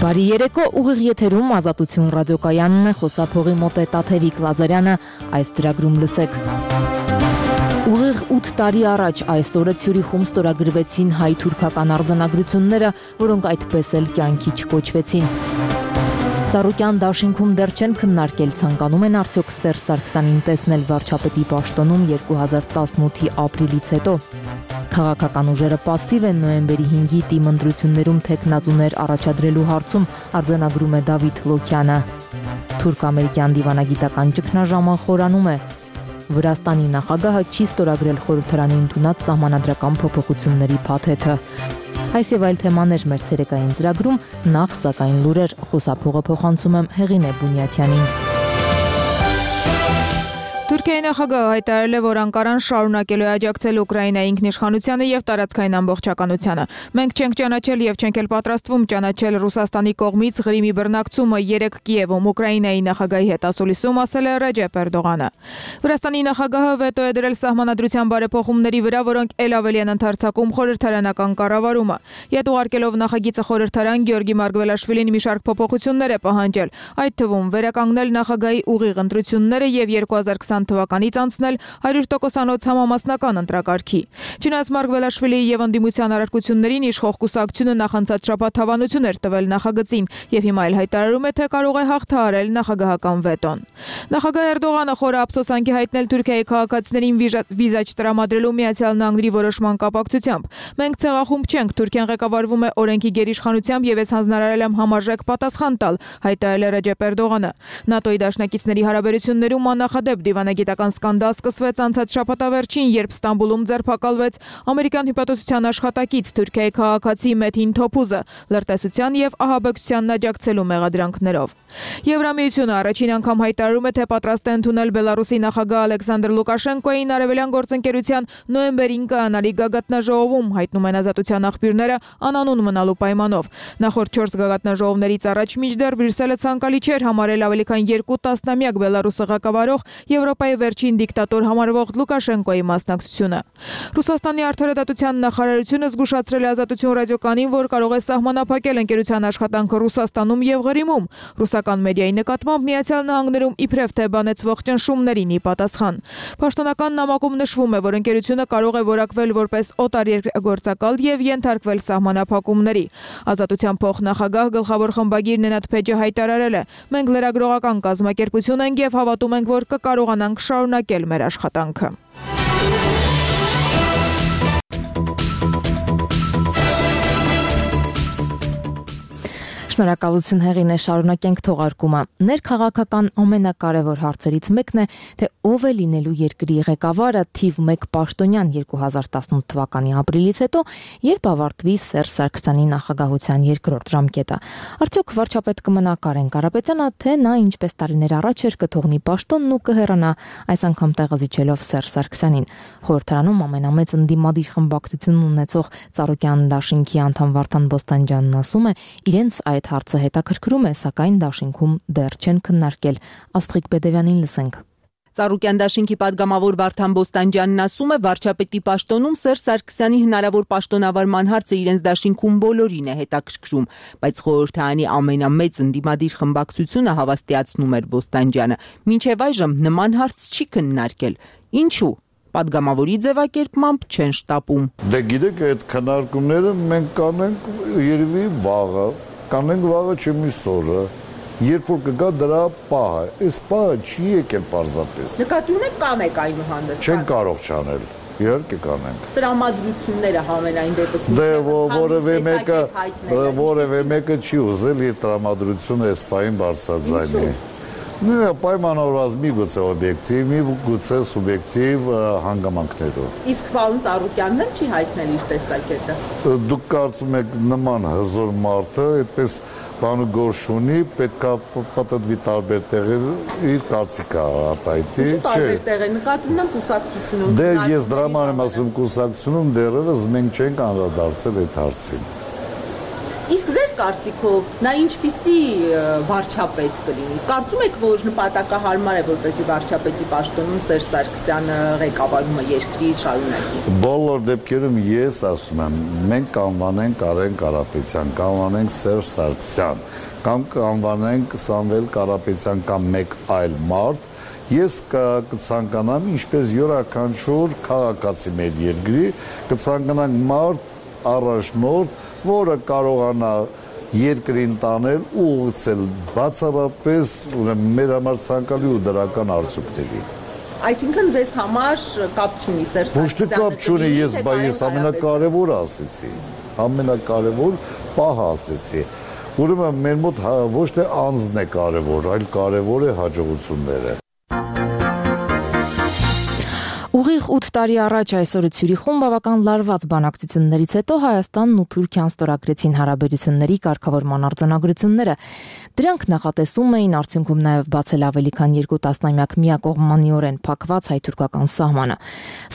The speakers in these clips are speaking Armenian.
Բարի երեկո, ուղիղ եթերում Ազատություն ռադիոկայանն է, խոսափողի մոտ է Տաթևիկ Լազարյանը, այս ծրագրում լսեք։ Ուղիղ 8 տարի առաջ այս օրը Ցյուրիխում ստորագրվեցին հայ-թուրքական արձանագրությունները, որոնք այդպես էլ կյանքի չկոչվեցին։ Ծառուկյան դաշինքում դեռ չեն քննարկել, ցանկանում են արդյոք Սերժ Սարգսյանին տեսնել վարչապետի պաշտոնում 2018-ի ապրիլից հետո։ Քաղաքական ուժերը պասիվ են նոյեմբերի 5-ի ՏԻՄ ընտրություններում թեկնածուներ առաջադրելու հարցում, արձանագրում է Դավիթ Լոքյանը։ Թուրք-ամերիկյան դիվանագիտական ճգնաժամը խորանում է։ Վրաստանի նախագահը չի ստորագրել խորհրդարանի ընդունած սահմանադրական փոփոխությունների փաթեթը։ Այս եւ այլ թեմաներ մեր ցերեկային ծրագրում, նախ սակայն լուրեր, խոսափողը փոխանցում եմ Հեղինե Բունյաթյանին։ Թուրքիայի նախագահը հայտարարել է, որ Անկարան շարունակելու է աջակցել Ուկրաինայի ինքնիշխանությանը եւ տարածքային ամբողջականությանը։ Մենք չենք ճանաչել եւ չենք էլ պատրաստվում ճանաչել Ռուսաստանի կողմից Ղրիմի բռնակցումը 3 Կիևում Ուկրաինայի նախագահի հետ ասուլիսում, ասել է Ռեջեփ Էրդողանը։ Վրաստանի նախագահը վետո է դրել սահմանադրության բարեփոխումների վրա, որոնք ել ավելի են ընդարձակում խորհրդարանական կառավարումը։ Ետ ուղարկելով նախագիծը խորհրդարան, Գեորգի Մարգվելաշվիլին մի շարք փոփոխություններ է պահանջել, այդ թվում վերականգնել նախագահի ուղիղ ընտրությունները եւ 2020 թվականից անցնել 100%-անոց համամասնական ընտրակարգի։ Չնայած Մարգվելաշվիլիի եւ ընդդիմության առարկություններին իշխող կուսակցությունը նախանցած շաբաթ հավանություն էր տվել նախագծին եւ հիմա էլ հայտարարում է, թե կարող է հաղթահարել նախագահական վետոն։ Նախագահ Էրդողանը խորը ափսոսանքի հայտնել Թուրքիայի քաղաքացիներին վիզա չտրամադրելու Միացյալ Նահանգների որոշման կապակցությամբ։ Մենք ցեղախումբ չենք, Թուրքիան ղեկավարվում է օրենքի գերիշխանությամբ եւ ես հանձնարարել եմ համարժեք պատասխան տալ, հայտարարել է Ռեջեփ Էրդողանը։ ՆԱՏՕ-ի դաշնակիցների հարաբերություններում աննախադեպ դիվանագիտական սկանդալ սկսվեց անցած շաբաթավերջին, երբ Ստամբուլում ձերբակալվեց ամերիկյան հյուպատոսության աշխատակից Թուրքիայի քաղաքացի Մեթին Թոփուզը լրտեսության եւ ահաբեկչությանն աջակցելու մեղադրանքներով։ Եվրամիությունը առաջին անգամ հայտարարում է, թե պատրաստ է ընդունել Բելարուսի նախագահ Ալեքսանդր Լուկաշենկոյին արևելյան գործընկերության նոյեմբերին կայանալի գագաթնաժողովում, հայտնում են ազատության աղբյուրները անանուն մնալու պայմանով։ Նախորդ 4 գագաթնաժողովներից առաջ մինչդեռ Բրյուսելը ցանկալի չէր համարել ավելի քան 2 տասնամյակ Բելարուսը ղեկավարող Եվրոպայի վերջին դիկտատոր համարվող Լուկաշենկոյի մասնակցությունը։ Ռուսաստանի արդարադատության նախարարությունը զգուշացրել է Ազատություն ռադիոկանին, որ կարող է սահմանափակել ընկերության աշխատանքը Ռուսաստանում եւ Ղրիմում։ Ռուսական մեդիայի նկատմամբ Միացյալ Նահանգներում իբրև թե բանեցվող ճնշումներին ի պատասխան։ Պաշտոնական նամակում նշվում է, որ ընկերությունը կարող է որակվել որպես օտարերկրագործակալ եւ ենթարկվել սահմանափակումների։ Ազատության փոխնախագահ գլխավոր խմբագիր Նենատ Փեջը հայտարարել է. մենք լրագրողական կազմակերպություն ենք եւ հավատում ենք, որ կկարողանանք շարունակել մեր աշխատանքը։ Շնորհակալություն Հեղինե, շարունակենք թողարկումը։ Ներքաղաքական ամենակարևոր հարցերից մեկն է, թե ով է լինելու երկրի ղեկավարը թիվ 1 պաշտոնյան 2018 թվականի ապրիլից հետո, երբ ավարտվի Սերժ Սարգսյանի նախագահության երկրորդ ժամկետը։ Արդյոք վարչապետ կմնա Կարեն Կարապետյանը, թե նա ինչպես տարիներ առաջ էր կթողնի պաշտոնն ու կհեռանա, այս անգամ տեղը զիջելով Սերժ Սարգսյանին։ Խորհրդարանում ամենամեծ ընդդիմադիր խմբակցությունն ունեցող Ծառուկյան դաշինքի անդամ Վարդան Բոստանջյանն ասում է, իրենց այդ հարցը հետաքրքրում է, սակայն դաշինքում դեռ չեն քննարկել։ Աստղիկ Բեդևյանին լսենք։ Ծառուկյան դաշինքի падգամավոր Վարդան Բոստանջյանն ասում է, վարչապետի պաշտոնում Սերժ Սարգսյանի հնարավոր պաշտոնավարման հարցը իրենց դաշինքում բոլորին է հետաքրքրում, բայց խորհրդարանի ամենամեծ ընդդիմադիր խմբակցությունը հավաստիացնում էր Բոստանջյանը, մինչև այժմ նման հարց չի քննարկել։ Ինչու՞։ Падգամավորի ձևակերպմամբ չեն շտապում։ Դե գիտեք, այդ քննարկումները մենք կանենք երևի վաղը, կանենք վաղը չէ միսօրը, երբ որ կգա դրա պահը, այս պահը չի եկել պարզապես։ Նկատի ունեք կանեք այնուհանդերձ։ Չեն կարող չանել, իհարկե կանենք։ Տրամադրությունները համենայն դեպս դե որևէ մեկը չի ուզել իր տրամադրությունը այս պահին բարձրաձայնի։ Նրա պայմանավորված միգուցե օբյեկտիվ, միգուցե սուբյեկտիվ հանգամանքներով։ Իսկ պարոն Ծառուկյանն էլ չի հայտնել իր տեսակետը։ Դուք կարծում եք նման հզոր մարդը, այդպես բանը գործ ունի, պետք է պատտվի տարբեր տեղեր իր կարծիքը արտահայտի, չէ։ Տարբեր տեղեր նկատում եմ կուսակցությունում։ Դե ես դրա համար եմ ասում կուսակցությունում դեռևս մենք չենք անդրադարձել այդ հարցին։ Իսկ ձեր կարծիքով նա ինչպիսի վարչապետ կլինի։ Կարծում եք, որ նպատակահարմար է, որպեսզի վարչապետի պաշտոնում Սերժ Սարգսյանը ղեկավարումը երկրի շարունակի։ Բոլոր դեպքերում ես ասում եմ, մենք կանվանենք Արեն Կարապետյան, կանվանենք Սերժ Սարգսյան, կամ կանվանենք Սամվել Կարապետյան կամ մեկ այլ մարդ, ես կցանկանամ ինչպես յուրաքանչյուր քաղաքացի մեր երկրի, կցանկանանք մարդ առաջնորդ, որը կարողանա երկրին տանել ու ուղղել բացառապես մեր համար ցանկալի ու դրական արդյունքների։ Այսինքն ձեզ համար կապ չունի Սերժ Ոչ թե կապ չունի, ես ամենակարևորը ասեցի, ամենակարևոր պահը ասեցի։ Ուրեմն մեր մոտ ոչ թե անձն է կարևոր, այլ կարևոր է հաջողությունները։ Ուղիղ 8 տարի առաջ այսօրը Ցյուրիխում բավական լարված բանակցություններից հետո Հայաստանն ու Թուրքիան ստորագրեցին հարաբերությունների կարգավորման արձանագրությունները։ Դրանք նախատեսում էին արդյունքում նաև բացել ավելի քան 2 տասնամյակ միակողմանիորեն փակված հայ-թուրքական սահմանը։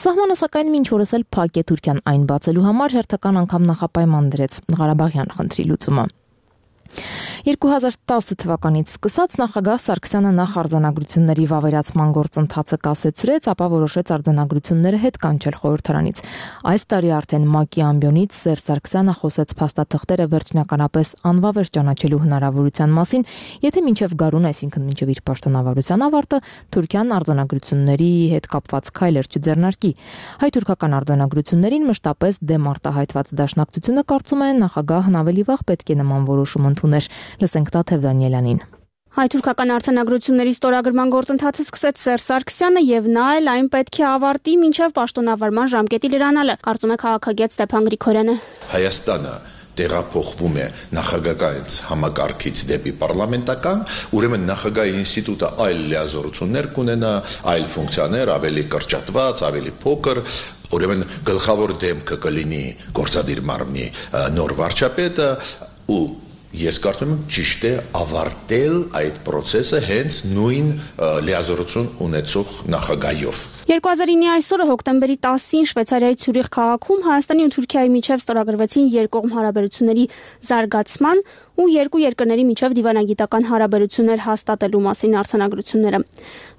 Սահմանը սակայն մինչ օրս էլ փակ է, Թուրքիան այն բացելու համար հերթական անգամ նախապայման դրեց Ղարաբաղյան խնդրի լուծումը։ 2010 թվականից սկսած նախագահ Սարգսյանը նախ արձանագրությունների վավերացման գործընթացը կասեցրեց, ապա որոշեց արձանագրությունները հետ կանչել խորհրդարանից։ Այս տարի արդեն ՄԱԿ-ի ամբիոնից Սերժ Սարգսյանը խոսեց փաստաթղթերը վերջնականապես անվավեր ճանաչելու հնարավորության մասին, եթե մինչև գարուն, այսինքն մինչև իր պաշտոնավարության ավարտը, Թուրքիան արձանագրությունների հետ կապված քայլեր չձեռնարկի։ Հայ-թուրքական արձանագրություններին մշտապես դեմ արտահայտված դաշնակցությունը կարծում է նախագահն ավելի վաղ պետք է նման որոշում ընդուներ։ Լսենք Տաթև Դանիելյանին։ Հայ-թուրքական արձանագրությունների ստորագրման գործընթացը սկսեց Սերժ Սարգսյանը եւ նա էլ այն պետք է ավարտի մինչև պաշտոնավարման ժամկետի լրանալը, կարծում է քաղաքագետ Ստեփան Գրիգորյանը։ Հայաստանը տեղափոխվում է նախագահից համակարգից դեպի պարլամենտական, ուրեմն նախագահի ինստիտուտը այլ լիազորություններ կունենա, այլ ֆունկցիաներ, ավելի կրճատված, ավելի փոքր, ուրեմն գլխավոր դեմքը կլինի գործադիր մարմնի նոր վարչապետը ու ես կարծում եմ ճիշտ է ավարտել այդ process-ը հենց նույն լիազորություն ունեցող նախագահով։ 2009-ի այսօրը հոկտեմբերի 10-ին Շվեյցարիայի Ցյուրիխ քաղաքում Հայաստանի ու Թուրքիայի միջև ստորագրվեցին երկկողմ հարաբերությունների զարգացման ու երկու երկրների միջև դիվանագիտական հարաբերություններ հաստատելու մասին արձանագրությունները։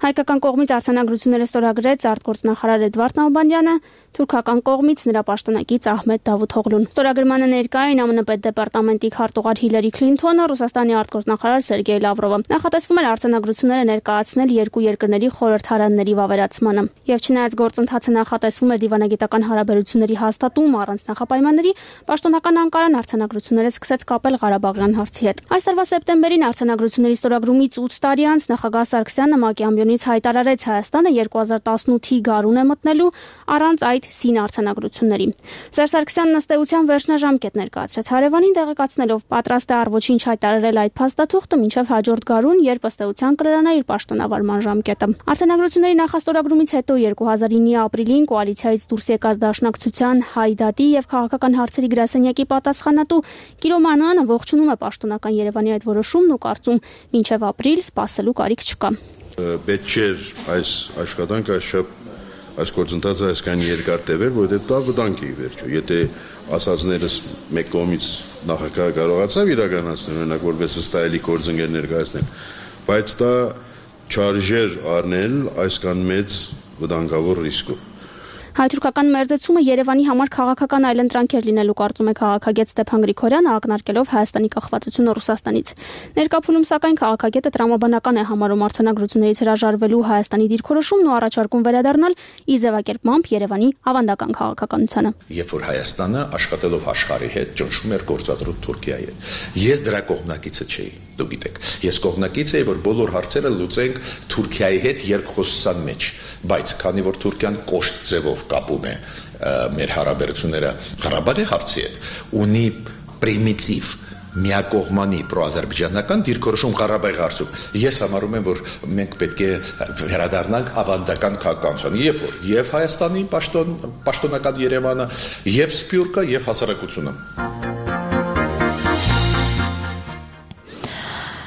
Հայկական կողմից արձանագրությունները ստորագրեց արտգործնախարար Էդվարդ Նալբանդյանը, թուրքական կողմից նրա պաշտոնակից Ահմեդ Դավութօղլուն։ Ստորագրմանը ներկա էին ԱՄՆ պետդեպարտամենտի քարտուղար Հիլարի Քլինթոնը, Ռուսաստանի արտգործնախարար Սերգեյ Լավրովը։ Նախատեսվում էր արձանագրությունները ներկայացնել երկու երկրների խորհրդարանների վավերացմանը։ Եվ չնայած գործընթացը նախատեսվում էր դիվանագիտական հարաբերությունների հաստատում առանց նախապայմանների, պաշտոնական Անկարան արձանագրությունները սկսեց կապել Ղարաբաղյան հարցի հետ։ Այս տարվա սեպտեմբերին արձանագրությունների ստորագրումից 8 տարի անց նախագահ Սարգսյանը ՄԱԿ-ի ամբիոնից հայտարարեց Հայաստանը 2018-ի գարուն է մտնելու առանց այդ սին արձանագրությունների։ Սերժ Սարգսյանն ըստ էության վերջնաժամկետ ներկայացրեց հարևանին, տեղեկացնելով պատրաստ է առ ոչինչ հայտարարել այդ փաստաթուղթը մինչև հաջորդ գարուն, երբ ըստ էության կլրանա իր պաշտոնավարման ժամկետը։ Արձանագրությունների նախաստորագրումից հետո 2009-ի ապրիլին կոալիցիայից դուրս եկած Դաշնակցության Հայդատի եւ քաղաքական հարցերի գրասենյակի պատասխանատու Կիրո Մանոյանը ողջունում է պաշտոնական Երևանի այդ որոշումն ու կարծում մինչև ապրիլ սպասելու կարիք չկա։ Պետք չէր այս աշխատանքը այս գործընթացը այսքան երկար տևել, որովհետեւ դա վտանգ է ի վերջո։ Եթե ասածներս մեկ կողմից նախագահը կարողացավ իրականացնել, օրինակ որպես վստահելի գործընկեր ներկայացնել, բայց դա չարժեր առնել այսքան մեծ վտանգավոր ռիսկով։ Հայ-թուրքական մերձեցումը Երևանի համար քաղաքական այլընտրանք էր լինելու, կարծում է քաղաքագետ Ստեփան Գրիգորյանը, ակնարկելով Հայաստանի կախվածությունը Ռուսաստանից։ Ներկա փուլում սակայն քաղաքագետը տրամաբանական է համարում արձանագրություններից հրաժարվելու Հայաստանի դիրքորոշումն ու առաջարկում վերադառնալ ի ձևակերպմամբ Երևանի ավանդական քաղաքականությանը։ Երբ որ Հայաստանը աշխատելով աշխարհի հետ ճնշում էր գործադրում Թուրքիայի հետ, ես դրա կողմնակիցը չէի, դու գիտեք։ Ես կողմնակից էի, որ բոլոր հարցերը լուծենք Թուրքիայի հետ երկխոսության մեջ, բայց քանի որ Թուրքիան կոշտ ձևով կապում է մեր հարաբերությունները Ղարաբաղի հարցի հետ, ունի պրիմիտիվ միակողմանի պրոազերբայջանական դիրքորոշում Ղարաբաղի հարցում։ Ես համարում եմ, որ մենք պետք է վերադառնանք ավանդական քաղաքականության, երբ որ եւ Հայաստանի պաշտոնական Երևանը, եւ Սփյուռքը, եւ հասարակությունը։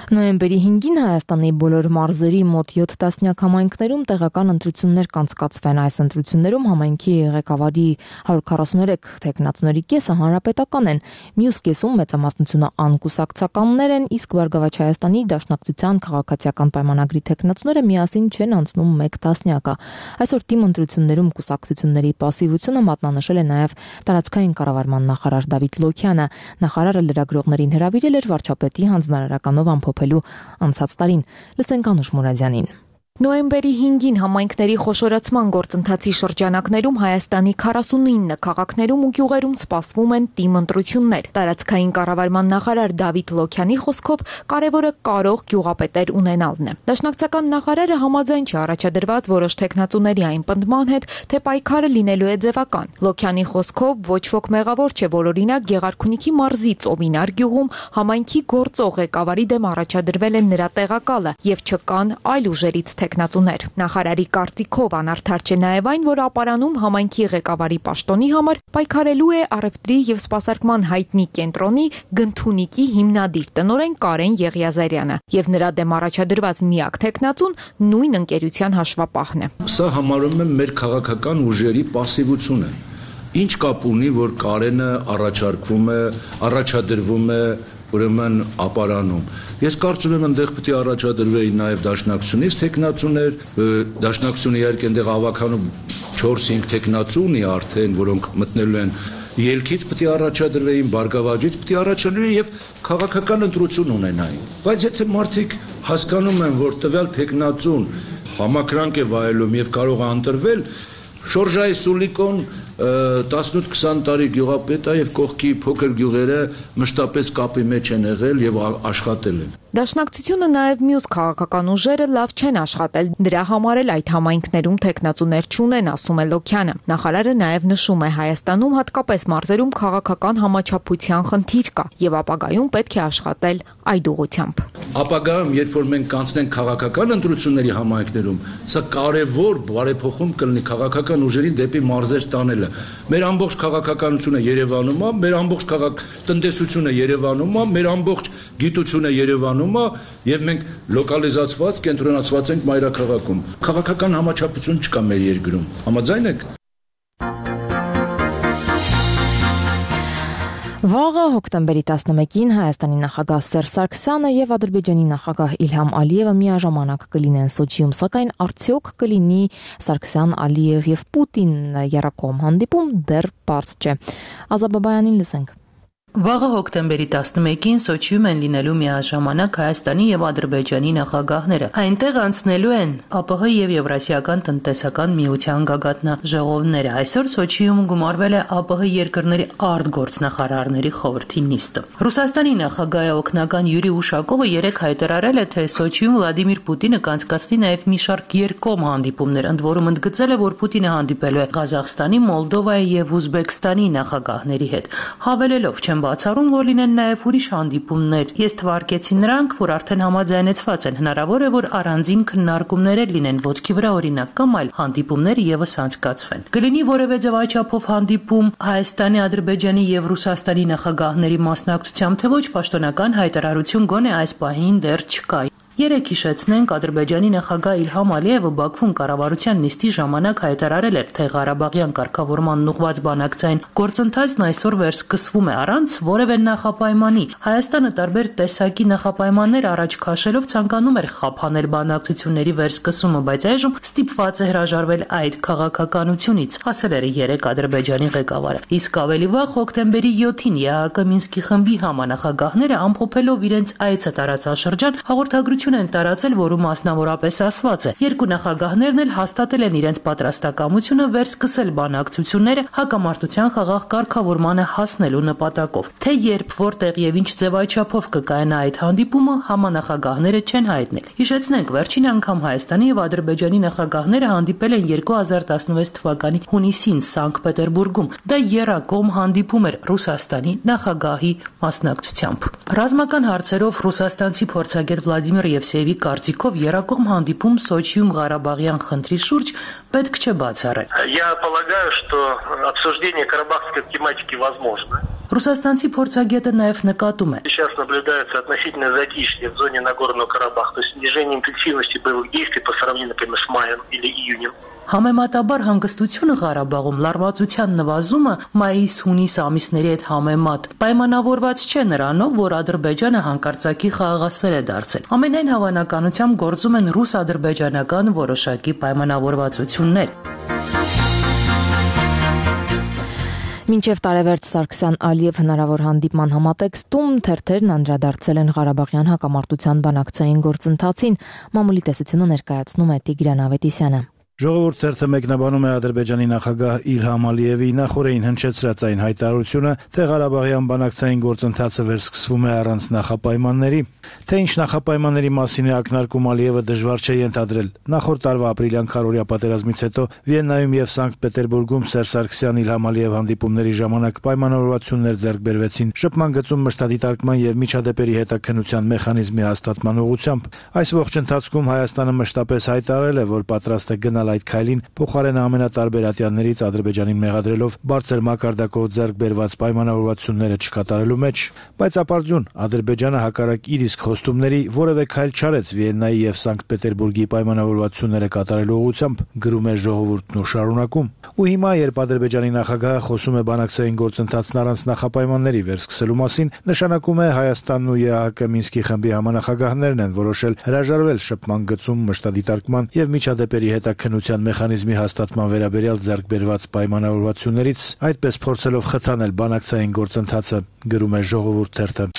Նոյեմբերի 5-ին Հայաստանի բոլոր մարզերի մոտ 7 տասնյակ համայնքներում տեղական ընտրություններ կանցկացվեն։ Այս ընտրություններում համայնքի ղեկավարի 143 թեկնածուների կեսը հանրապետական են, մյուս կեսում մեծամասնությունը անկուսակցականներ են, իսկ Բարգավաճ Հայաստանի Դաշնակցության քաղաքացիական պայմանագրի թեկնածուները միասին չեն անցնում 1 տասնյակը։ Այսօր թիմ ընտրություններում կուսակցությունների պասիվությունը մատնանշել է նաև տարածքային կառավարման նախարար Դավիթ Լոքյանը։ Նախարարը լրագրողներին հրավիրել էր վարչապետի հանձնարարականով ամփոփելու անցած տարին։ Լսենք Անուշ Մուրադյանին։ Նոյեմբերի 5-ին համայնքների խոշորացման գործընթացի շրջանակներում Հայաստանի 49 քաղաքներում ու գյուղերում սպասվում են թիմ ընտրություններ։ Տարածքային կառավարման նախարար Դավիթ Լոքյանի խոսքով կարևորը կարող գյուղապետեր ունենալն է։ Դաշնակցական նախարարը համաձայն չի առաջադրված որոշ թեկնածուների այն պնդման հետ, թե պայքարը լինելու է ձևական։ Լոքյանի խոսքով ոչ ոք մեղավոր չէ, որ օրինակ Գեղարքունիքի մարզի Ծովինար գյուղում համայնքի գործող ղեկավարի դեմ առաջադրվել է նրա տեղակալը եւ չկան այլ ուժերից թեկնածուներ։ Նախարարի կարծիքով անարդար չէ նաև այն, որ ապարանում համայնքի ղեկավարի պաշտոնի համար պայքարելու է առևտրի եւ սպասարկման հայտնի կենտրոնի Գնթունիքի հիմնադիր տնօրեն Կարեն Եղիազարյանը եւ նրա դեմ առաջադրված միակ թեկնածուն նույն ընկերության հաշվապահն է։ Սա համարում եմ մեր քաղաքական ուժերի պասիվությունը։ Ինչ կապ ունի, որ Կարենը առաջադրվում է ուրեմն ապարանում։ Ես կարծում եմ այնտեղ պետք է առաջադրվեին նաև դաշնակցությունից թեկնածուներ, դաշնակցությունը իհարկե այնտեղ ավականում 4-5 թեկնածու ունի արդեն, որոնք մտնելու են ելքից պետք է առաջադրվեին, Բարգավաճից պետք է առաջադրվեին եւ քաղաքական ընտրություն ունենային։ Բայց եթե մարդիկ հասկանում են, որ տվյալ թեկնածուն համակրանք է վայելում եւ կարող է ընտրվել, Շորժայի Սուլիկոն 18-20 տարի գյուղապետ է եւ կողքի փոքր գյուղերը մշտապես կապի մեջ են եղել եւ աշխատել են։ Դաշնակցությունը նաև մյուս քաղաքական ուժերը լավ չեն աշխատել, դրա համար էլ այդ համայնքներում թեկնածուներ չունեն, ասում է Լոքյանը։ Նախարարը նաև նշում է Հայաստանում հատկապես մարզերում քաղաքական համաչափության խնդիր կա եւ ապագայում պետք է աշխատել այդ ուղղությամբ։ Ապագայում, երբ որ մենք կանցնենք քաղաքական ընտրությունների համայնքներում, սա կարևոր բարեփոխում կլինի քաղաքական ուժերին դեպի մարզեր տանելը։ Մեր ամբողջ քաղաքականությունը Երևանում է, մեր ամբողջ տնտեսությունը Երևանում է, մեր ամբողջ գիտությունը Երևանում է եւ մենք լոկալիզացված, կենտրոնացված ենք մայրաքաղաքում։ Քաղաքական համաչափություն չկա մեր երկրում։ Համաձայն եք։ Վաղը հոկտեմբերի 11-ին Հայաստանի նախագահ Սերժ Սարգսյանը եւ Ադրբեջանի նախագահ Իլհամ Ալիևը միաժամանակ կլինեն Սոչիում, սակայն արդյոք կլինի Սարգսյան, Ալիև եւ Պուտին երակողմ հանդիպում դեռ պարզ չէ։ Ազաբաբայանին լսենք։ Վաղը հոկտեմբերի 11-ին Սոչիում են լինելու միաժամանակ Հայաստանի եւ Ադրբեջանի նախագահները։ Այնտեղ անցնելու են ԱՊՀ եւ Եվրասիական տնտեսական միության գագաթնաժողովները։ Այսօր Սոչիում գումարվել է ԱՊՀ երկրների արտգործնախարարների խորհրդի նիստը։ Ռուսաստանի նախագահ օգնական Յուրի Ուշակովը երեկ հայտարարել է, թե Սոչիում Վլադիմիր Պուտինը կանցկացնի նաեւ մի շարք երկկողմ հանդիպումներ, ընդ որում ընդգծել է, որ Պուտինը հանդիպելու է Ղազախստանի, Մոլդովայի եւ Ուզբեկստանի նախագահների հետ, հավելելով չեմ բացառում, որ լինեն նաև ուրիշ հանդիպումներ։ Ես թվարկեցի նրանք, որ արդեն համաձայնեցված են, հնարավոր է, որ առանձին քննարկումներ լինեն ոտքի վրա օրինակ կամ այլ հանդիպումներ եւս անցկացվեն։ Կլինի որևէ ձևաչափով հանդիպում Հայաստանի, Ադրբեջանի եւ Ռուսաստանի նախագահների մասնակցությամբ, թե ոչ պաշտոնական հայտարարություն գոնե այս պահին դեռ չկա։ Երեկ հիշեցնենք, Ադրբեջանի նախագահ Իլհամ Ալիևը Բաքվում կառավարության նիստի ժամանակ հայտարարել էր, թե Ղարաբաղյան կարգավորման ուղղված բանակցային գործընթացն այսօր վերսկսվում է առանց որևէ նախապայմանի։ Հայաստանը տարբեր տեսակի նախապայմաններ առաջ քաշելով ցանկանում էր խափանել բանակցությունների վերսկսումը, բայց այժմ ստիպված է հրաժարվել այդ քաղաքականությունից, ասել էր երեկ Ադրբեջանի ղեկավարը։ Իսկ ավելի վաղ հոկտեմբերի 7-ին ԵԱՀԿ Մինսկի խմբի համանախագահները ամփոփելով իրենց այցը տարածաշրջան հաղորդագրություն են տարածել, որում մասնավորապես ասված է. երկու նախագահներն էլ հաստատել են իրենց պատրաստակամությունը վերսկսել բանակցությունները հակամարտության խաղաղ կարգավորմանը հասնելու նպատակով։ Թե երբ, որտեղ եւ ինչ ձևաչափով կկայանա այդ հանդիպումը, համանախագահները չեն հայտնել։ Հիշեցնենք, վերջին անգամ Հայաստանի եւ Ադրբեջանի նախագահները հանդիպել են 2016 թվականի հունիսին Սանկտ Պետերբուրգում։ Դա եռակողմ հանդիպում էր Ռուսաստանի նախագահի մասնակցությամբ։ Ռազմական հարցերով ռուսաստանցի փորձագետ Վլադիմիր Եվսեևի կարծիքով եռակողմ հանդիպում Սոչիում Ղարաբաղյան խնդրի շուրջ պետք չէ բացառել։ Я полагаю, что обсуждение карабахской тематики возможно. Ռուսաստանցի փորձագետը նաև նկատում է. Сейчас наблюдается относительно затишье в зоне Нагорного Карабаха, то есть снижение интенсивности боевых действий по сравнению, например, с маем или июнем. Համեմատաբար հանգստությունը Ղարաբաղում լարվածության նվազումը մայիս-հունիս ամիսների հետ համեմատ պայմանավորված չէ նրանով, որ Ադրբեջանը հանկարծակի խաղաղասեր է դարձել։ Ամենայն հավանականությամբ գործում են ռուս-ադրբեջանական որոշակի պայմանավորվածություններ։ Մինչև տարեվերջ Սարգսյան-Ալիև հնարավոր հանդիպման համատեքստում թերթերն անդրադարձել են Ղարաբաղյան հակամարտության բանակցային գործընթացին, մամուլի տեսությունը ներկայացնում է Տիգրան Ավետիսյանը։ Ժողովուրդ թերթը մեկնաբանում է Ադրբեջանի նախագահ Իլհամ Ալիևի նախորդին հնչեցրած այն հայտարարությունը, թե Ղարաբաղյան բանակցային գործընթացը վերսկսվում է առանց նախապայմանների, թե ինչ նախապայմանների մասին է ակնարկում Ալիևը դժվար չէ ենթադրել։ Նախորդ տարվա ապրիլյան քարոզիա պատերազմից հետո Վիեննայում եւ Սանկտ Պետերբուրգում Սերժ Սարգսյան-Իլհամ Ալիև հանդիպումների ժամանակ պայմանավորվածություններ ձեռք բերվեցին շփման գծում մշտադիտարկման եւ միջադեպերի հետաքննության մեխանիզմի հաստատման ուղղությամբ։ Այս ողջ ընթացքում Հայաստանը մշտապես հայտարարել է, որ պատրաստ է գնալ այդ քայլին, փոխարենը ամենատարբեր ատյաններից Ադրբեջանին մեղադրելով բարձր մակարդակով ձեռք բերված պայմանավորվածությունները չկատարելու մեջ, բայց ապարդյուն Ադրբեջանը հակառակ իր իսկ խոստումների որևէ քայլ չարեց Վիեննայի եւ Սանկտ Պետերբուրգի պայմանավորվածությունները կատարելու ուղղությամբ, գրում է Ժողովուրդն ու շարունակում։ Ու հիմա, երբ Ադրբեջանի նախագահը խոսում է բանակցային գործընթացն առանց նախապայմանների վերսկսելու մասին, նշանակում է Հայաստանն ու ԵԱՀԿ Մինսկի խմբի համանախագահներն են որոշել հրաժարվել շփման գծում մշտադիտարկման եւ միջադեպերի հետաքննության մեխանիզմի հաստատման վերաբերյալ ձեռք բերված պայմանավորվածություններից, այդպես փորձելով խթանել բանակցային գործընթացը, գրում է Ժողովուրդ թերթը։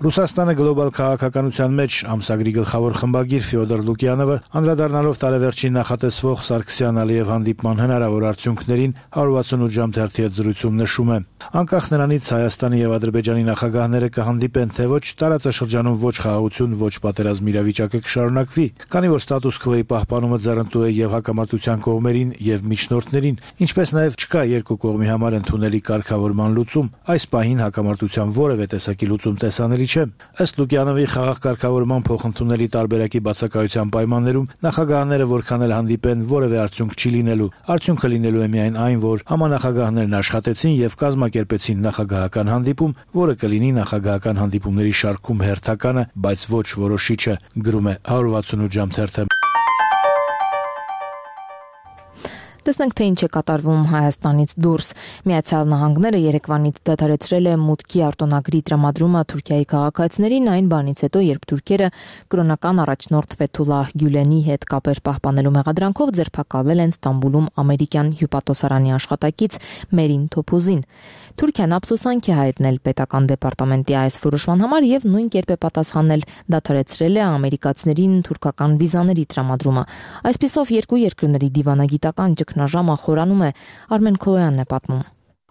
Ռուսաստանը գլոբալ քաղաքականության մեջ ամսագրի գլխավոր խմբագիր Ֆյոդոր Լուկյանովը անդրադառնալով տարեվերջին նախատեսվող Սարգսյան-Ալիև հանդիպման հնարավոր արդյունքներին 168 ժամ թերթի հետ զրույցում նշում է. անկախ նրանից Հայաստանի եւ Ադրբեջանի նախագահները կհանդիպեն թե ոչ, տարածաշրջանում ոչ խաղաղություն, ոչ պատերազմ իրավիճակը կշարունակվի, քանի որ ստատուս քվոյի պահպանումը ձեռնտու է եւ հակամարտության կողմերին եւ միջնորդներին, ինչպես նաեւ չկա երկու կողմի համար ընդունելի կարգավորման լուծում։ Այս պահին հակամարտության որևէ տեսակի լուծում տեսանելի չէ։ Ըստ Լուկյանովի խաղաղ կարգավորման փոխընդունելի տարբերակի բացակայության պայմաններում նախագահները որքան էլ հանդիպեն, որևէ արդյունք չի լինելու։ Արդյունքը լինելու է միայն այն, որ համանախագահներն աշխատեցին եւ կազմակերպեցին նախագահական հանդիպում, որը կլինի նախագահական հանդիպումների շարքում հերթականը, բայց ոչ որոշիչը, գրում է 168 ժամ թերթը։ Տեսնենք, թե ինչ է կատարվում Հայաստանից դուրս։ Միացյալ Նահանգները երեկվանից դադարեցրել է մուտքի արտոնագրի տրամադրումը Թուրքիայի քաղաքացիներին այն բանից հետո, երբ թուրքերը կրոնական առաջնորդ Ֆեթուլահ Գյուլենի հետ կապեր պահպանելու մեղադրանքով ձերբակալել են Ստամբուլում ամերիկյան հյուպատոսարանի աշխատակից Մերին Թոփուզին։ Թուրքիան ափսոսանք է հայտնել պետական դեպարտամենտի այս որոշման համար եւ նույն կերպ է պատասխանել, դադարեցրել է ամերիկացիներին թուրքական վիզաների տրամադրումը։ Այսպիսով երկու երկրների դիվանագիտական ճգնաժամը խորանում է, Արմեն Քոլոյանն է պատմում։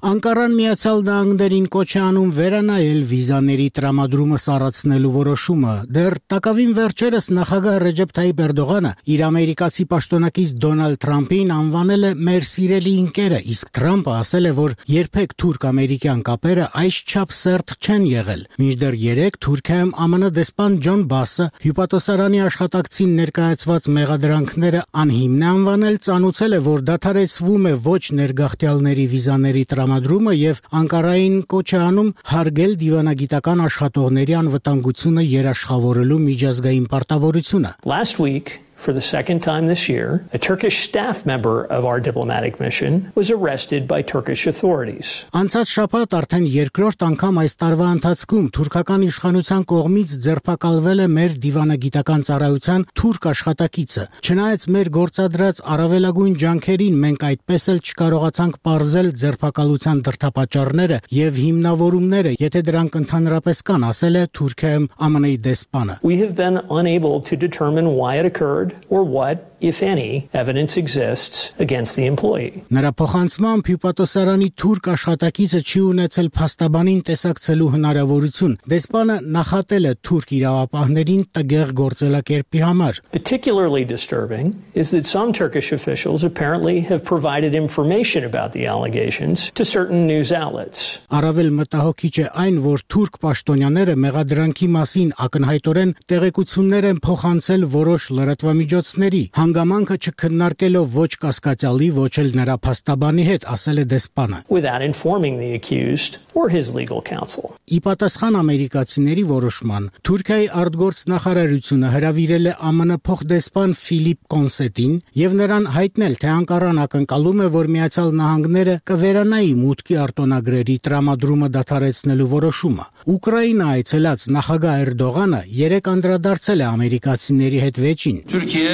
Անկարան Միացյալ Նահանգներին կոչ է անում վերանայել վիզաների տրամադրումը սառեցնելու որոշումը։ Դեռ տակավին վերջերս նախագահ Ռեջեփ Թայիփ Էրդողանը իր ամերիկացի պաշտոնակից Դոնալդ Թրամփին անվանել է մեր սիրելի ընկերը, իսկ Թրամփը ասել է, որ երբեք թուրք-ամերիկյան կապերը այսչափ սերտ չեն եղել։ Մինչդեռ երեկ Թուրքիայում ԱՄՆ դեսպան Ջոն Բասը հյուպատոսարանի աշխատակցին ներկայացված մեղադրանքները անհիմն է անվանել, ծանուցել է, որ դադարեցվում է ոչ ներգաղթյալների վիզաների տրամադրումը եւ Անկարային կոչ է անում հարգել դիվանագիտական աշխատողների անվտանգությունը երաշխավորելու միջազգային պարտավորությունը։ Last week, for the second time this year, a Turkish staff member of our diplomatic mission was arrested by Turkish authorities. Անցած շաբաթ արդեն երկրորդ անգամ այս տարվա ընթացքում թուրքական իշխանության կողմից ձերբակալվել է մեր դիվանագիտական ծառայության թուրք աշխատակիցը։ Չնայած մեր գործադրած առավելագույն ջանքերին մենք այդպես էլ չկարողացանք պարզել ձերբակալության դրդապատճառները եւ հիմնավորումները, եթե դրանք ընդհանրապես կան, ասել է Թուրքիայում ԱՄՆ-ի դեսպանը։ We have been unable to determine why it occurred or what, if any, evidence exists against the employee. Նրա փոխանցմամբ հյուպատոսարանի թուրք աշխատակիցը չի ունեցել փաստաբանին տեսակցելու հնարավորություն։ Դեսպանը նախատել է թուրք իրավապահներին տգեղ գործելակերպի համար։ Particularly disturbing is that some Turkish officials apparently have provided information about the allegations to certain news outlets. Առավել մտահոգիչ է այն, որ թուրք պաշտոնյաները մեղադրանքի մասին ակնհայտորեն տեղեկություններ են փոխանցել որոշ լրատվամիջոցների։ հանգամանքը չքննարկելով ոչ կասկածյալի, ոչ էլ նրա փաստաբանի հետ, ասել է դեսպանը. Without informing the accused or his legal counsel. Ի պատասխան ամերիկացիների որոշման, Թուրքիայի արտգործնախարարությունը հրավիրել է ԱՄՆ փոխդեսպան Ֆիլիպ Կոնսետին եւ նրան հայտնել, թե Անկարան ակնկալում է, որ Միացյալ Նահանգները կվերանայի մուտքի արտոնագրերի տրամադրումը դադարեցնելու որոշումը։ Ուկրաինա այցելած նախագահ Էրդողանը երեկ անդրադարձել է ամերիկացիների հետ վեճին։ Türkiye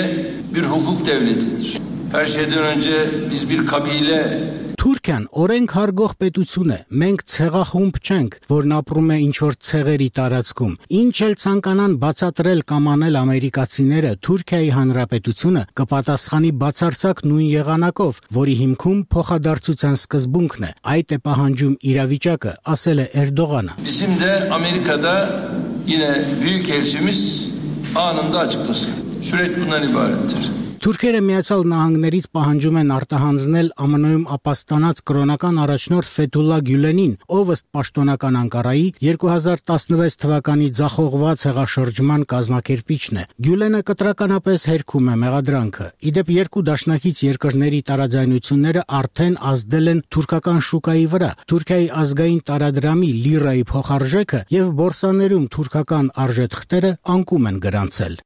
bir hukuk devletidir. Her şeyden önce biz bir kabile Թուրքիան օրենք հարգող պետություն է։ Մենք ցեղախումբ չենք, որն ապրում է ինչ-որ ցեղերի տարածքում։ Ինչ էլ ցանկանան բացատրել կամ անել ամերիկացիները, Թուրքիայի հանրապետությունը կպատասխանի բացարձակ նույն եղանակով, որի հիմքում փոխադարձության սկզբունքն է։ Այդ է պահանջում իրավիճակը, ասել է Էրդողանը։ Bizim de Amerika'da yine büyükelçimiz anında açıklasın. Süreç bundan ibarettir. Թուրքերը Միացյալ Նահանգներից պահանջում են արտահանձնել ԱՄՆ-ում ապաստանած կրոնական առաջնորդ Ֆեթուլլա Գյուլենին, ով ըստ պաշտոնական Անկարայի 2016 թվականի ձախողված հեղաշրջման կազմակերպիչն է։ Գյուլենը կտրականապես հերքում է մեղադրանքը։ Իդեպ երկու դաշնակից երկրների տարաձայնությունները արդեն ազդել են թուրքական շուկայի վրա։ Թուրքիայի ազգային տարադրամի լիրայի փոխարժեքը եւ բորսաներում թուրքական արժեթղթերը անկում են գրանցել։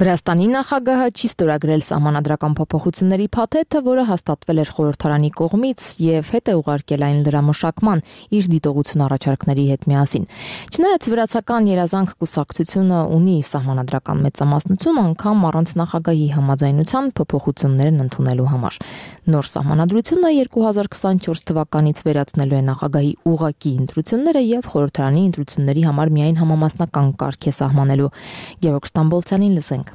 Վրաստանի նախագահը չի ստորագրել սահմանադրական փոփոխությունների փաթեթը, որը հաստատվել էր խորհրդարանի կողմից եւ հետ է ուղարկել այն լրամշակման իր դիտողություն առաջարկների հետ միասին։ Չնայած վրացական երազանք կուսակցությունը ունի սահմանադրական մեծամասնություն, անգամ առանց նախագահի համաձայնության փոփոխություններն ընդունելու համար։ Նոր սահմանադրությունը 2024 թվականից վերացնելու է նախագահի ուղղակի ընտրությունները եւ խորհրդարանի ընտրությունների համար միայն համամասնական կարգ է սահմանելու։ Գևորգ Ստամբոլցյանին լսենք։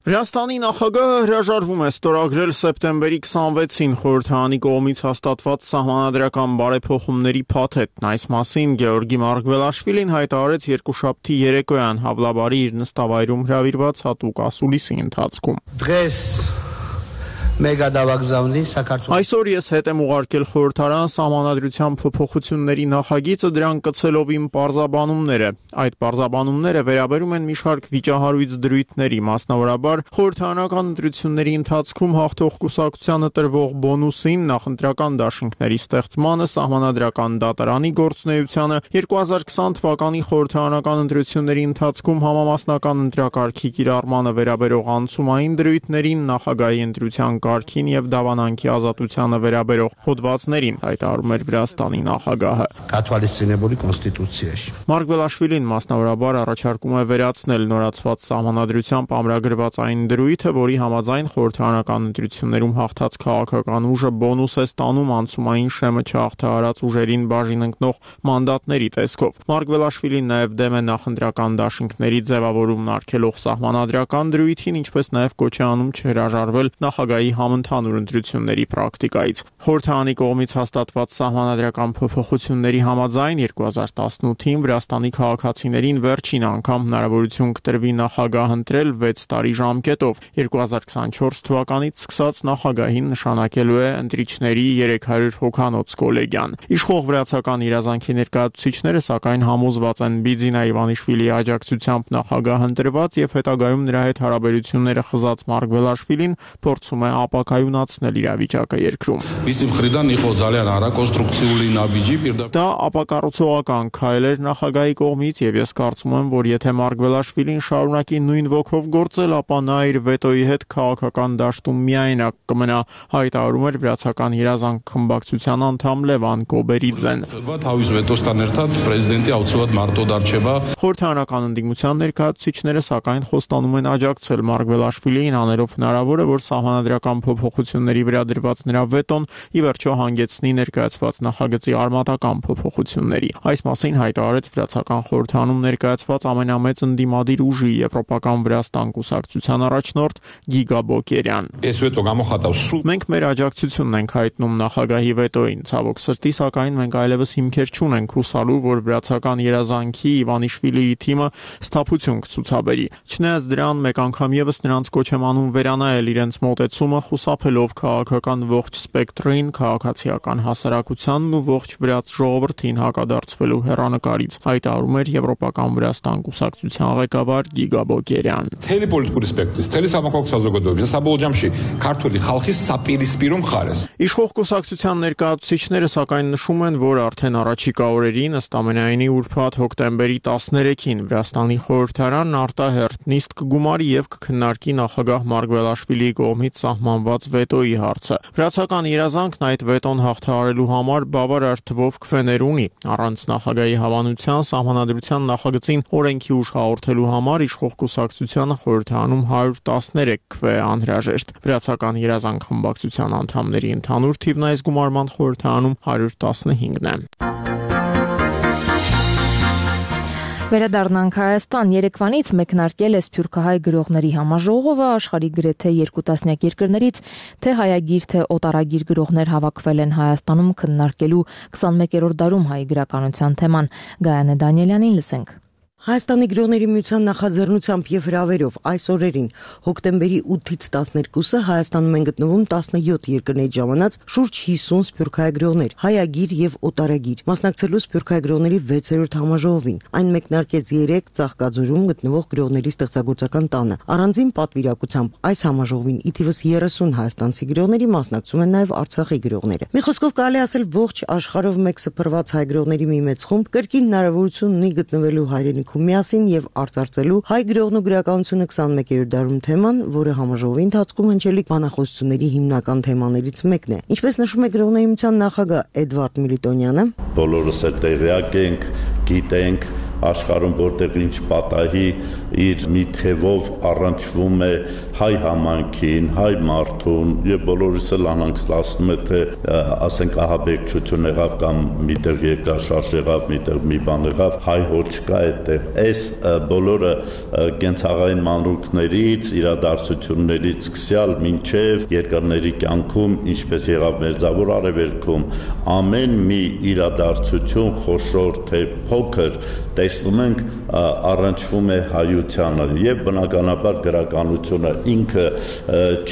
Վրաստանի նախագահը հրաժարվում է ստորագրել սեպտեմբերի 26-ին խորհրդարանի կողմից հաստատված սահմանադրական բարեփոխումների փաթեթն։ Այս մասին Գեորգի Մարգվելաշվիլին հայտարարեց երկուշաբթի երեկոյան Հավլաբարի իր նստավայրում հրավիրված հատուկ ասուլիսի ընթացքում։ Այսօր ես հետ եմ ուղարկել խորհրդարան սահմանադրության փոփոխությունների նախագիծը, դրան կցելով իմ պարզաբանումները։ Այդ պարզաբանումները վերաբերում են մի շարք վիճահարույց դրույթների, մասնավորաբար խորհրդարանական ընտրությունների ընթացքում հաղթող կուսակցությանը տրվող բոնուսին, նախընտրական դաշինքների ստեղծմանը, սահմանադրական դատարանի գործունեությանը, 2020 թվականի խորհրդարանական ընտրությունների ընթացքում համամասնական ընտրակարգի կիրառմանը վերաբերող անցումային դրույթներին, նախագահի ընտրության կարգին եւ դավանանքի ազատությանը վերաբերող հոդվածներին, հայտարարում էր Վրաստանի նախագահը։ Մարգվելաշվիլին մասնավորաբար առաջարկում է վերացնել նորացված սահմանադրությամբ ամրագրված այն դրույթը, որի համաձայն խորհրդարանական ընտրություններում հաղթած քաղաքական ուժը բոնուս է ստանում անցումային շեմը չհաղթահարած ուժերին բաժին ընկնող մանդատների տեսքով։ Մարգվելաշվիլին նաեւ դեմ է նախընտրական դաշինքների ձևավորումն արգելող սահմանադրական դրույթին, ինչպես նաեւ կոչ է անում չհրաժարվել նախագահի համընդհանուր ընտրությունների պրակտիկայից։ Խորհրդարանի կողմից հաստատված սահմանադրական փոփոխությունների համաձայն 2018-ին Վրաստանի քաղաքացիներին վերջին անգամ հնարավորություն կտրվի նախագահ ընտրել 6 տարի ժամկետով։ 2024 թվականից սկսած նախագահին նշանակելու է ընտրիչների 300 հոգանոց կոլեգիան։ Իշխող վրացական իրազանքի ներկայացուցիչները սակայն համոզված են Բիձինա Իվանիշվիլիի աջակցությամբ նախագահ ընտրված եւ հետագայում նրա հետ հարաբերությունները խզած Մարգվելաշվիլին փորձում է ապակայունացնել իրավիճակը երկրում։ Դա ապակառուցողական քայլ էր նախագահի կողմից եւ ես կարծում եմ, որ եթե Մարգվելաշվիլին շարունակի նույն ոգով գործել, ապա նա իր վետոյի հետ քաղաքական դաշտում միայնակ կմնա, հայտարարում էր վրացական երազանք խմբակցության անդամ Լևան Կոբերիձեն։ Խորհրդարանական ընդդիմության ներկայացուցիչները սակայն խոստանում են աջակցել Մարգվելաշվիլիին, անելով հնարավոր է, որ սահմանադրական փոփոխությունների վրա դրված նրա վետոն ի վերջո հանգեցնի ներկայացված նախագծի արմատական փոփոխությունների։ Այս մասին հայտարարեց վրացական խորհրդարանում ներկայացված ամենամեծ ընդդիմադիր ուժի Եվրոպական Վրաստան կուսակցության առաջնորդ Գիգա Բոկերյան։ Մենք մեր աջակցությունն ենք հայտնում նախագահի վետոին, ցավոք սրտի, սակայն մենք այլևս հիմքեր չունենք հուսալու, որ վրացական երազանքի Իվանիշվիլիի թիմը սթափություն կցուցաբերի։ Չնայած դրան, մեկ անգամ եւս նրանց կոչ եմ անում վերանայել իրենց մոտեցումը, կառավարությունը խուսափելով քաղաքական ողջ սպեկտրին, քաղաքացիական հասարակությանն ու ողջ վրաց ժողովրդին հակադարձվելու հեռանկարից, հայտարարում էր Եվրոպական Վրաստան կուսակցության ղեկավար Գիգա Բոգերյան։ Թելի պոլիտիկური սպեկտրից, թելի համակարգ საზოგადოების, საბოლოო ჯამში քართული ხალხის საპირისპირო მხარეს։ Իշխող կուսակցության ներկայացուցիչները սակայն նշում են, որ արդեն առաջիկա օրերին ըստ ամենայնի ուրբաթ հոկտեմբերի 13-ին Վրաստանի խորհրդարանն արտահերթ նիստ կգումարի եւ կքննարկի նախագահ Մարգվելաշվիլիի կողմից սահմանված վետոյի հարցը։ Վրացական երազանքն այդ վետոն հաղթահարելու համար բավարար թվով քվեներ ունի։ Առանց նախագահի հավանության սահմանադրության նախագծին օրենքի ուժ հաղորդելու համար իշխող կուսակցությանը խորհրդարանում 113 քվե անհրաժեշտ։ Վրացական երազանք խմբակցության անդամների ընդհանուր թիվն այս գումարման խորհրդարանում 115-ն է։ Վերադառնանք Հայաստան, Երևանից մեկնարկել է Սփյուռքահայ գրողների համաժողովը, աշխարհի գրեթե 2 տասնյակ երկրներից թե հայագիր, թե օտարագիր գրողներ հավաքվել են Հայաստանում քննարկելու 21-րդ դարում հայ գրականության թեման։ Գայանե Դանիելյանին լսենք։ Հայաստանի գրողների միության նախաձեռնությամբ եւ հրավերով այս օրերին հոկտեմբերի 8-ից 12-ը Հայաստանում են գտնվում 17 երկրներից ժամանած շուրջ 50 սփյուռքահայ գրողներ, հայագիր եւ օտարագիր, մասնակցելու սփյուռքահայ գրողների 6-րդ համաժողովին։ Այն մեկնարկեց 3 Ծաղկաձորում գտնվող գրողների ստեղծագործական տանը։ Առանձին պատվիրակությամբ այս համաժողովին ի թիվս 30 հայաստանցի գրողների մասնակցում են նաեւ Արցախի գրողները։ Մի խոսքով կարելի ասել ողջ աշխարհով մեկ սփռված հայ գրողների մի մեծ խումբ կրկին հնարավորություն ունի գտնվելու հայրենիքում միասին եւ արծարծելու հայ գրողն ու գրականությունը 21-րդ դարում թեման, որը համաժողովի ընթացքում հնչելիք բանախոսությունների հիմնական թեմաներից մեկն է։ Ինչպես նշում է գրողների միության նախագահ Էդվարդ Միլիտոնյանը, բոլորս էլ տեղյակ ենք, գիտենք աշխարհում որտեղ ինչ պատահի իր մի թևով առնչվում է հայ համայնքին, հայ մարդուն եւ բոլորիս էլ անհանգստացնում է թե ասենք ահաբեկչություն եղավ կամ միտեղ երկրաշարժ եղավ, միտեղ մի բան եղավ, հայ հոչ կա այդտեղ։ Այս բոլորը կենցաղային մանրուքներից, իրադարձություններից սկսյալ մինչև երկրների կյանքում, ինչպես եղավ Մերձավոր Արևելքում, ամեն մի իրադարձություն խոշոր թե փոքր տեսնում ենք առնչվում է հայությանը եւ բնականաբար գրականությունը ինքը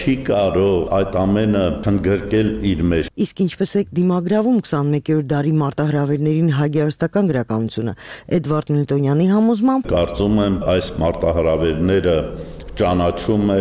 չի կարող այդ ամենը ընդգրկել իր մեջ։ Իսկ ինչպես է դիմագրավում 21-րդ դարի մարտահրավերներին հայ գեղարվեստական գրականությունը։ Էդվարդ Միլիտոնյանի համոզմամբ կարծում եմ այս մարտահրավերները ճանաչում է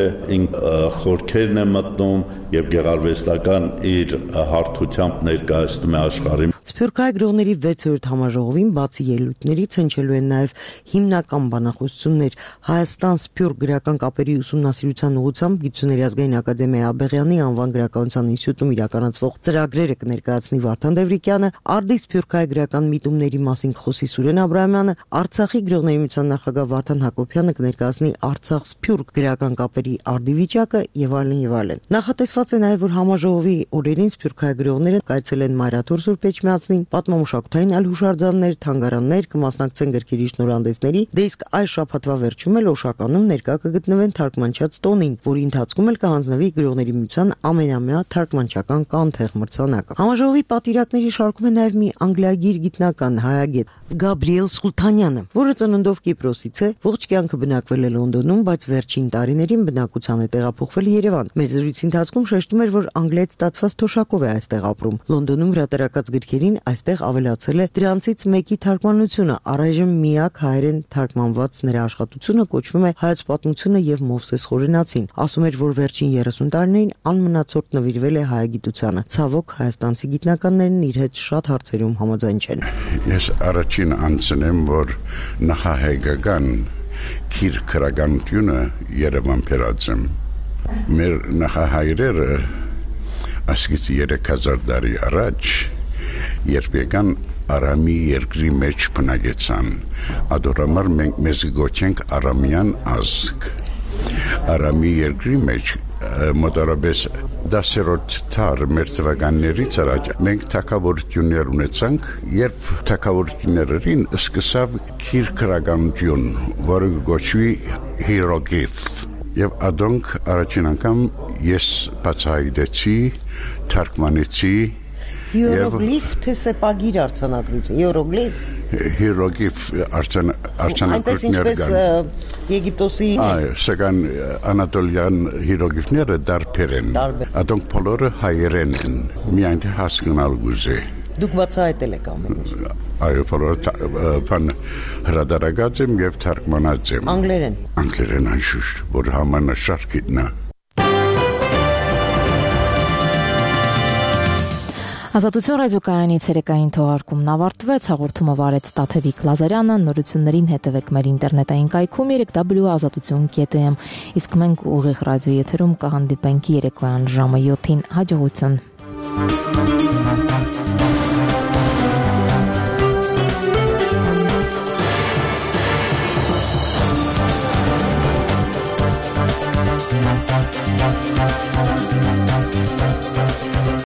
խորքերն է մտնում եւ գեղարվեստական իր հարթությամբ ներկայացնում է աշխարհին։ Սփյուռքահայ գրողների 6-րդ համաժողովին բացի ելույթներից հնչելու են նաև հիմնական բանախոսություններ Հայաստան-Սփյուռք գրական կապերի ուսումնասիրության ուղղությամբ Գիտությունների ազգային ակադեմիայի Աբեղյանի անվան գրականության ինստիտուտում իրականացվող ծրագրերը կներկայացնի Վարդան Դևրիկյանը, Արդի սփյուռքահայ գրական միտումների մասին կխոսի Սուրեն Աբրահամյանը, Արցախի գրողների միության նախագահ Վարդան Հակոբյանը կներկայացնի Արցախ-Սփյուռք գրական կապերի արդի-վիճակը եւ այլն եւ այլն։ Նախատեսված է նաեւ որ համաժողովի օրերին սփյուռքահայ գրողները կայցելեն Մայրաթոր Սուրբ Էջմիածնին, պատմամշակութային այլ հուշարձաններ, թանգարաններ, կմասնակցեն գրքերի շնորհանդեսների, դե իսկ այս շաբաթվա վերջում էլ Օշականում ներկա կգտնվեն թարգմանչած տոնին, որի ընթացքում էլ կհանձնվի գրողների միության ամենամյա թարգմանչական կանթեղ մրցանակը։ Համաժողովի պատիրակների շարքում է նաեւ մի անգլիագիր գիտնական հայագետ Գաբրիել Սուլթանյանը, որը ծննդով Կիպրոսից է, ողջ կյանքը բնակվել է Լոնդոնում, բայց վերջին տարիներին բնակության է տեղափոխվել Երևան։ Մեր զրույցի ընթացքում շեշտում էր, որ անգլիայից ստացված թոշակով է այստեղ ապրում։ Լոնդոնում հրատարակած գրքերին այստեղ ավելացել է դրանցից մեկի թարգմանությունը, առայժմ միակ հայերեն թարգմանված նրա աշխատությունը կոչվում է Հայոց պատմությունը եւ Մովսես Խորենացին։ Ասում էր, որ վերջին 30 տարիներին անմնացորդ նվիրվել է հայագիտությանը։ Ցավոք հայաստանցի գիտնականներն իր հետ շատ հարցերում համաձայն չեն։ Ես առաջին անձնեմ, որ նախահայկական քիր քրագանությունը Երևան փերածեմ։ Մեր նախահայրերը ասկից 3000 տարի առաջ երբ եկան Արամի երկրի մեջ բնակեցան, ադորամար մենք մեզ գոչենք Արամյան ազգ։ Արամի երկրի մեջ մոտավորապես 10-րդ դար մեր թվականներից առաջ մենք թագավորություններ ունեցանք, երբ թագավորություններին սկսավ քիր քրագանություն, որը գոչվի հիերոգլիֆ։ Եվ ադոնք առաջին անգամ ես բացահայտեցի, թարգմանեցի Հիերոգլիֆ թե սեպագիր արձանագրություն, հիերոգլիֆ։ հիրոգիվ արցանակություններ կան։ Եգիպտոսի սակայն անատոլյան հիրոգիվները դարբեր են։ Ադոնք բոլորը հայերեն են։ Միայն թե հասկանալ գուզե։ Դուք բացահայտել եք ամեն ինչ։ Այո, բոլորը բան հրադարագած եմ եւ թարգմանած եմ։ Անգլերեն։ Անգլերեն անշուշտ, որ համանշարքիտնա։ Ազատություն ռադիոկայանի ցերեկային թողարկումն ավարտվեց, հաղորդումը վարեց Տաթևիկ Լազարյանը, նորություններին հետևեք մեր ինտերնետային կայքում www.azatutun.am, իսկ մենք ուղիղ ռադիո եթերում կհանդիպենք երեկոյան ժամը 7-ին, հաջողություն։